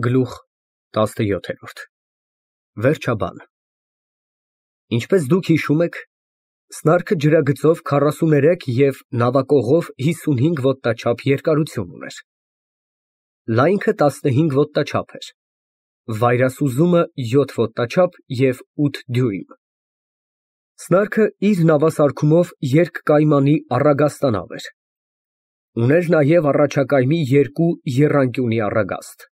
Գլուխ 17 Վերջաբան Ինչպես դուք հիշում եք, սնարքը ջրագծով 43 և նավակողով 55 ոտնաչափ երկարություն ուներ։ Լայնքը 15 ոտնաչափ էր, վայրասուզումը 7 ոտնաչափ և 8 դյույմ։ Սնարքը իր նավասարքումով երկկայմանի առագաստանավ էր։ Ուներ նաև առաջակայմի երկու եռանկյունի առագաստ,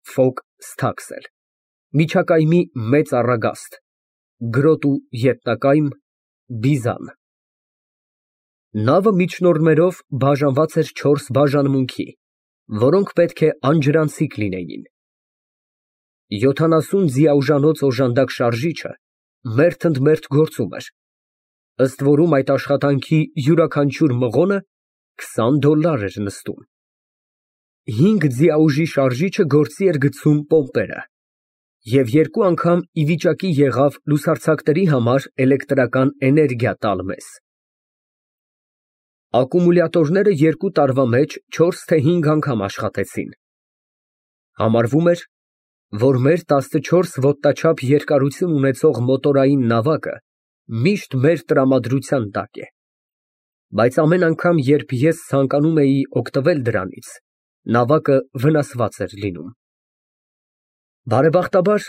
ֆոկ ստաքսել, միջակայմի մեծ առագաստ, գրոտ ու ետնակայմ, բիզան։ Նավը միջնորդներով բաժանված էր 4 բաժանմունքի, որոնք պետք է անջրանցիկ լինեին։ 70 ձիաուժանոց օժանդակ շարժիչը մերթընդմերթ գործում էր, ըստ որում այդ աշխատանքի յուրաքանչյուր մղոնը $20 էր նստում։ 5 ձիաուժի շարժիչը գործի էր գցում պոմպերը և երկու անգամ ի վիճակի եղավ լուսարձակների համար էլեկտրական էներգիա տալ մեզ։ Ակումուլյատորները 2 տարվա մեջ 4 թե 5 անգամ աշխատեցին։ Համարվում էր, որ մեր 14 ոտնաչափ երկարություն ունեցող մոտորային նավակը միշտ մեր տրամադրության տակ է, բայց ամեն անգամ, երբ ես ցանկանում էի օգտվել դրանից, նավակը վնասված էր լինում։ Բարեբախտաբար,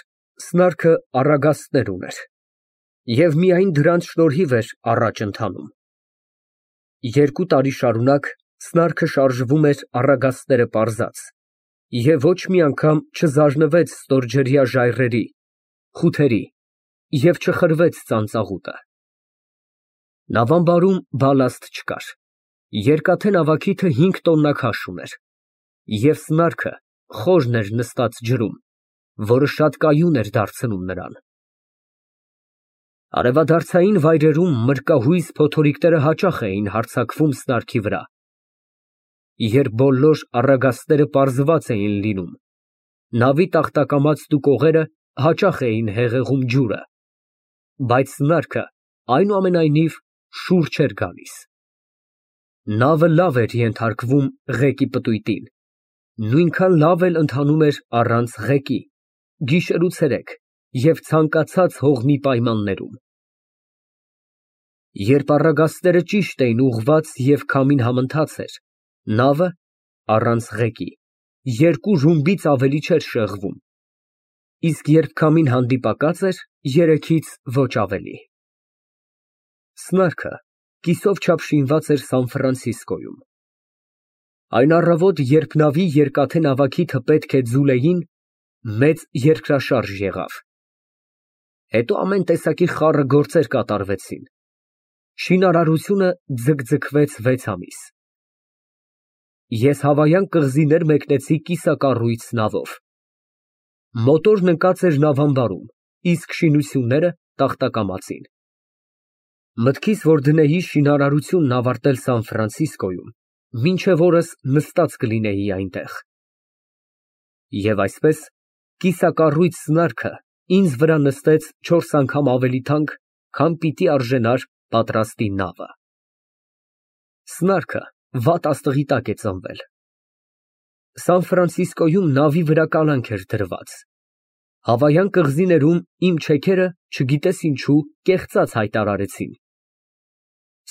սնարքը առագաստներ ուներ, և միայն դրանց շնորհիվ էր առաջ ընթանում։ 2 տարի շարունակ սնարքը շարժվում էր առագաստները պարզած և ոչ մի անգամ չզարնվեց ստորջրյա ժայռերի, խութերի և չխրվեց ծանծաղուտը։ Նավամբարում բալաստ չկար, երկաթե նավակիթը 5 տոննա քաշ ուներ, և սնարքը խորն էր նստած ջրում, որը շատ կայուն էր դարձնում նրան։ Արևադարձային վայրերում մրրկահույս փոթորիկները հաճախ էին հարձակվում սնարքի վրա։ Երբ բոլոր առագաստները պարզված էին լինում, նավի տախտակամածն ու կողերը հաճախ էին հեղեղում ջուրը, բայց սնարքը այնուամենայնիվ շուռ չէր գալիս։ Նավը լավ էր ենթարկվում ղեկի պտույտին, նույնքան լավ էլ ընթանում էր առանց ղեկի, գիշեր ու ցերեկ և ցանկացած հողմի պայմաններում։ Երբ առագաստները ճիշտ էին ուղղված և քամին համընթաց էր, նավը, առանց ղեկի, 2 ռումբից ավելի չէր շեղվում, իսկ երբ քամին հանդիպակաց էր, 3-ից ոչ ավելի։ Սնարքը կիսով չափ շինված էր Սան Ֆրանցիսկոյում։ Այն առավոտ, երբ նավի երկաթե նավակիթը պետք է ձուլեին, մեծ երկրաշարժ եղավ։ Հետո ամեն տեսակի խառը գործեր կատարվեցին։ Շինարարությունը ձգձգվեց 6 ամիս։ Ես Հավայան կղզիներ մեկնեցի կիսակառույց նավով։ Մոտորն ընկած էր նավամբարում, իսկ շինությունները տախտակամածին։ Մտքիս, որ դնեի շինարարությունն ավարտել Սան Ֆրանցիսկոյում, մինչև օրս նստած կլինեի այնտեղ։ Եվ այսպես, կիսակառույց սնարքը ինձ վրա նստեց 4 անգամ ավելի թանկ, քան պիտի արժենար պատրաստի նավը։ Սնարքը վատ աստղի տակ է ծնվել։ Սան Ֆրանցիսկոյում նավի վրա կալանք էր դրված։ Հավայան կղզիներում իմ չեքերը, չգիտես ինչու, կեղծած հայտարարեցին։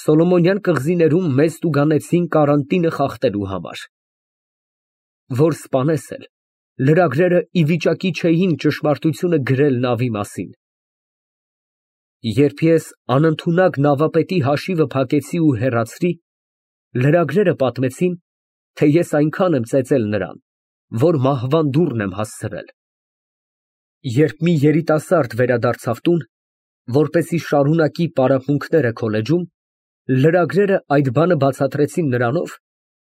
Սոլոմոնյան կղզիներում մեզ տուգանեցին կարանտինը խախտելու համար։ Որ սպանես էլ, լրագրերը ի վիճակի չէին ճշմարտությունը գրել նավի մասին։ Երբ ես անընդունակ նավապետի հաշիվը փակեցի ու հեռացրի, լրագրերը պատմեցին, թե ես այնքան եմ ծեծել նրան, որ մահվան դուռն եմ հասցրել։ Երբ մի երիտասարդ վերադարձավ տուն, որպեսզի շարունակի պարապմունքները քոլեջում, լրագրերը այդ բանը բացատրեցին նրանով,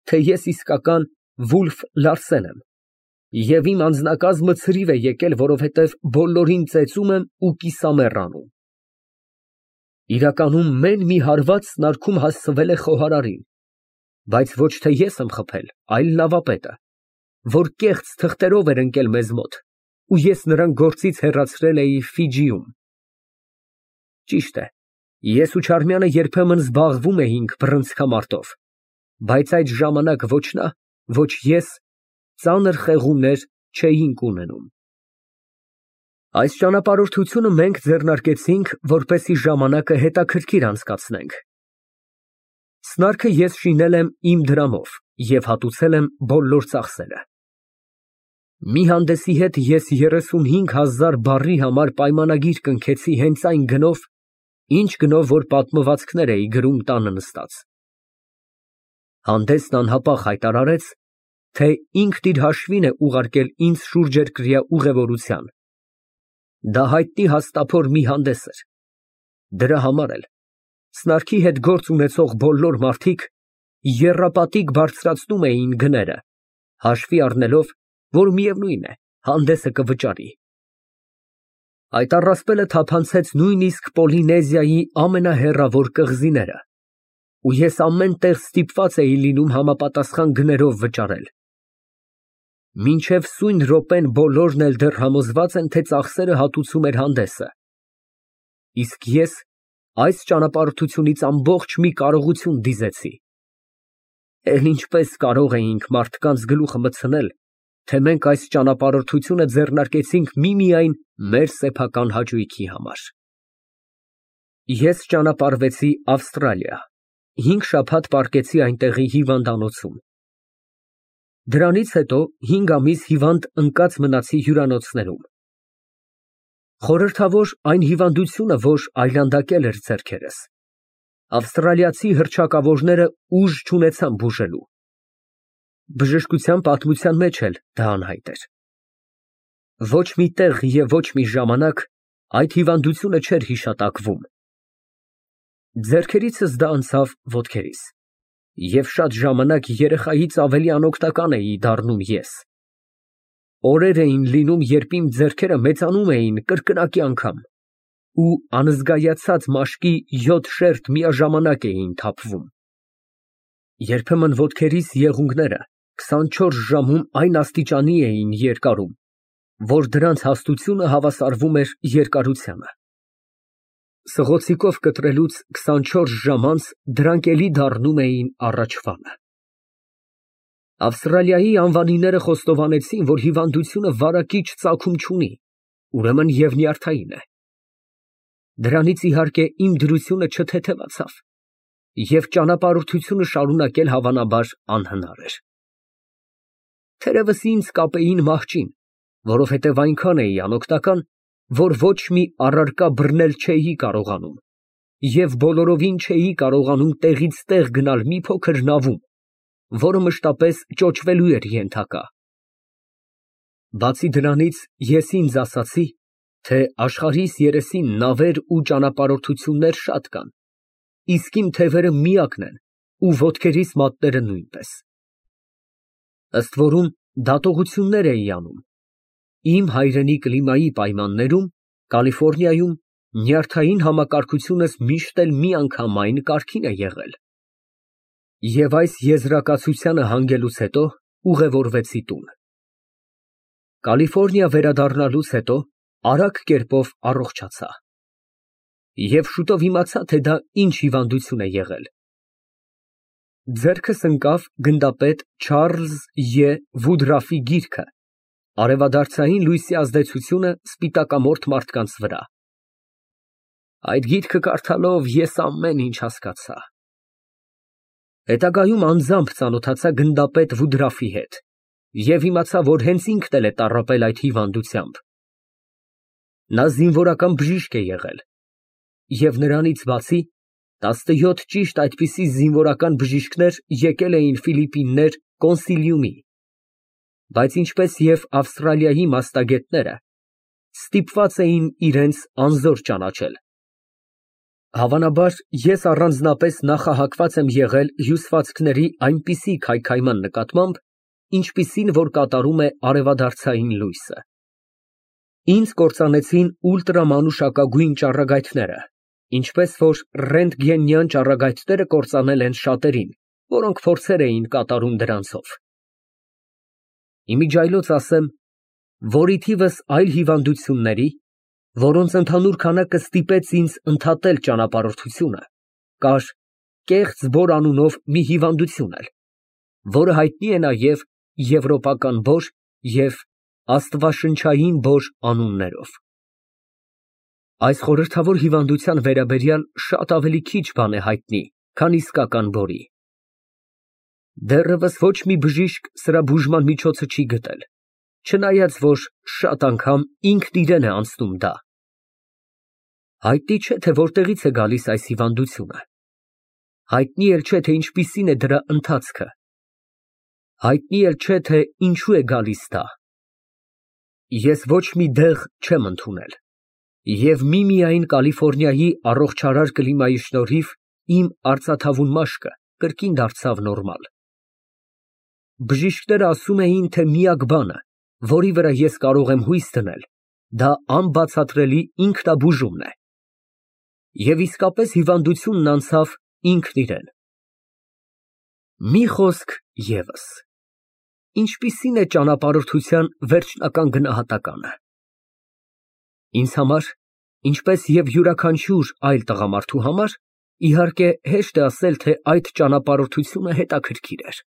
թե ես իսկական Վուլֆ Լարսեն եմ, և իմ անձնակազմը ցրիվ է եկել, որովհետև բոլորին ծեծում եմ ու կիսամեռ անում։ Իրականում մեն մի հարված սնարքում հասցվել է խոհարարին, բայց ոչ թե ես եմ խփել, այլ նավապետը, որ կեղծ թղթերով էր ընկել մեզ մոտ, ու ես նրան գործից հեռացրել էի Ֆիջիում։ Ճիշտ է, ես ու Չարմյանը երբեմն զբաղվում էինք բռնցքամարտով, բայց այդ ժամանակ ոչ նա, ոչ ես ծանր խեղումներ չէինք ունենում։ Այս ճանապարհորդությունը մենք ձեռնարկեցինք, որպեսզի ժամանակը հետաքրքիր անցկացնենք։ Սնարքը ես շինել եմ իմ դրամով և հատուցել եմ բոլոր ծախսերը։ Մի հանդեսի հետ ես 35,000 բառի համար պայմանագիր կնքեցի հենց այն գնով, ինչ գնով, որ պատմվածքներ էի գրում տանը նստած։ Հանդեսն անհապաղ հայտարարեց, թե ինքն իր հաշվին է ուղարկել ինձ շուրջերկրյա ուղևորության։ Դա հայտնի հաստափոր մի հանդես էր։ Դրա համար էլ սնարքի հետ գործ ունեցող բոլոր մարդիկ եռապատիկ բարձրացնում էին գները, հաշվի առնելով, որ միևնույն է, հանդեսը կվճարի։ Այդ առասպելը թափանցեց նույնիսկ Պոլինեզիայի ամենահեռավոր կղզիները, ու ես ամեն տեղ ստիպված էի լինում համապատասխան գներով վճարել։ Մինչև սույն րոպեն բոլորն էլ դեռ համոզված են, թե ծախսերը հատուցում էր հանդեսը։ Իսկ ես այս ճանապարհորդությունից ամբողջ մի կարողություն դիզեցի։ Էլ ինչպես կարող էինք մարդկանց գլուխը մտցնել, թե մենք այս ճանապարհորդությունը ձեռնարկեցինք միմիայն մեր սեփական հաճույքի համար։ Ես ճանապարհվեցի Ավստրալիա, 5 շաբաթ պառկեցի այնտեղի հիվանդանոցում։ Դրանից հետո 5 ամիս հիվանդ ընկած մնացի հյուրանոցներում։ Խորհրդավոր այն հիվանդությունը, որ այլանդակել էր ձեռքերս, ավստրալիացի հռչակավորները ուժ չունեցան բուժելու։ Բժշկության պատմության մեջ էլ դա անհայտ էր։ Ոչ մի տեղ և ոչ մի ժամանակ այդ հիվանդությունը չէր հիշատակվում։ Ձեռքերիցս դա անցավ ոտքերիս, և շատ ժամանակ երեխայից ավելի անօգնական էի դառնում ես։ Օրեր էին լինում, երբ իմ ձեռքերը մեծանում էին կրկնակի անգամ, ու անզգայացած մաշկի 7 շերտ միաժամանակ էին թափվում։ Երբեմն ոտքերիս եղունգները 24 ժամում այն աստիճանի էին երկարում, որ դրանց հաստությունը հավասարվում էր երկարությանը։ Սղոցիկով կտրելուց 24 ժամ անց դրանք էլի դառնում էին առաջվանը։ Ավստրալիայի անվանիները խոստովանեցին, որ հիվանդությունը վարակիչ ծագում չունի, ուրեմն և նյարդային է։ Դրանից իհարկե իմ դրությունը չթեթևացավ, և ճանապարհորդությունը շարունակել հավանաբար անհնար էր։ Թերևս ինձ կապեին մահճին, որովհետև այնքան էի անօգնական, որ ոչ մի առարկա բռնել չէի կարողանում, և բոլորովին չէի կարողանում տեղից տեղ գնալ մի փոքր նավում, որը մշտապես ճոճվելու էր ենթակա։ Բացի դրանից, ես ինձ ասացի, թե աշխարհիս երեսին նավեր ու ճանապարհորդություններ շատ կան, իսկ իմ թևերը միակն են ու ոտքերիս մատները նույնպես։ Ըստ որում դատողություններ էի անում։ Իմ հայրենի կլիմայի պայմաններում, Կալիֆոռնիայում, նյարդային համակարգությունս միշտ էլ միանգամայն կարգին է եղել։ Եվ այս եզրակացությանը հանգելուց հետո ուղևորվեցի տուն։ Կալիֆոռնիա վերադառնալուց հետո արագ կերպով առողջացա։ Եվ շուտով իմացա, թե դա ինչ հիվանդություն է եղել։ Ձեռքս ընկավ գնդապետ Չարլզ Ե. Վուդրաֆի գիրքը «Արևադարձային լույսի ազդեցությունը սպիտակամորթ մարդկանց վրա»։ Այդ գիրքը կարդալով ես ամեն ինչ հասկացա։ Հետագայում անձամբ ծանոթացա գնդապետ Վուդրաֆի հետ և իմացա, որ հենց ինքն էլ է տառապել այդ հիվանդությամբ։ Նա զինվորական բժիշկ է եղել, և նրանից բացի 17 ճիշտ այդպիսի զինվորական բժիշկներ եկել էին Ֆիլիպիններ կոնսիլիումի, բայց ինչպես և Ավստրալիայի մասնագետները, ստիպված էին իրենց անզոր ճանաչել։ Հավանաբար, ես առանձնապես նախահակված եմ եղել հյուսվածքների այնպիսի քայքայման նկատմամբ, ինչպիսին որ կատարում է արևադարձային լույսը։ Ինձ կործանեցին ուլտրամանուշակագույն ճառագայթները, ինչպես որ ռենտգենյան ճառագայթները կործանել են շատերին, որոնք փորձեր էին կատարում դրանցով։ Իմիջիայլոց ասեմ, որ ի թիվս այլ հիվանդությունների, որոնց ընդհանուր քանակը ստիպեց ինձ ընդհատել ճանապարհորդությունը, կար կեղծ բոր անունով մի հիվանդություն էլ, որը հայտնի է նաև եվրոպական բոր և աստվածաշնչային բոր անուններով։ Այս խորհրդավոր հիվանդության վերաբերյալ շատ ավելի քիչ բան է հայտնի, քան իսկական բորի։ Դեռևս ոչ մի բժիշկ սրա բուժման միջոցը չի գտել, չնայած որ շատ անգամ ինքն իրեն է անցնում դա։ Հայտնի չէ, թե որտեղից է գալիս այս հիվանդությունը։ Հայտնի էլ չէ, թե ինչպիսին է դրա ընթացքը։ Հայտնի էլ չէ, թե ինչու է գալիս դա։ Ես ոչ մի դեղ չեմ ընդունել, և միմիայն Կալիֆոռնիայի առողջարար կլիմայի շնորհիվ իմ արծաթավուն մաշկը կրկին դարձավ նորմալ։ Բժիշկները ասում էին, թե միակ բանը, որի վրա ես կարող եմ հույս դնել, դա անբացատրելի ինքնաբուժումն է։ Եվ իսկապես հիվանդությունն անցավ ինքն իրեն։ Մի խոսք ևս. ինչպիսին է ճանապարհորդության վերջնական գնահատականը։ Ինձ համար, ինչպես և յուրաքանչյուր այլ տղամարդու համար, իհարկե հեշտ է ասել, թե այդ ճանապարհորդությունը հետաքրքիր էր։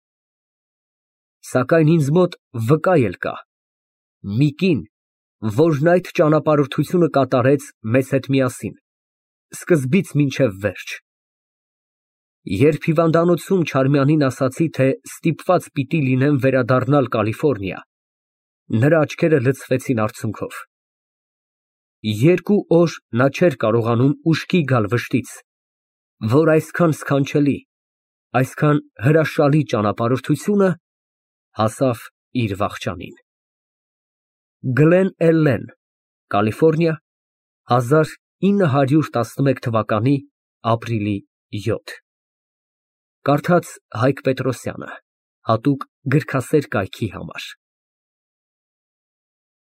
Սակայն ինձ մոտ վկա էլ կա. մի կին, որն այդ ճանապարհորդությունը կատարեց մեզ հետ միասին, սկզբից մինչև վերջ։ Երբ հիվանդանոցում Չարմյանին ասացի, թե ստիպված պիտի լինեմ վերադառնալ Կալիֆոռնիա, նրա աչքերը լցվեցին արցունքով։ 2 օր նա չէր կարողանում ուշքի գալ վշտից, որ այսքան սքանչելի, այսքան հրաշալի ճանապարհորդությունը հասավ իր վախճանին։ Գլեն Էլլեն, Կալիֆոռնիա, 1911 թվականի ապրիլի 7։ Կարդաց Հայկ Պետրոսյանը, հատուկ գրքասեր կայքի համար։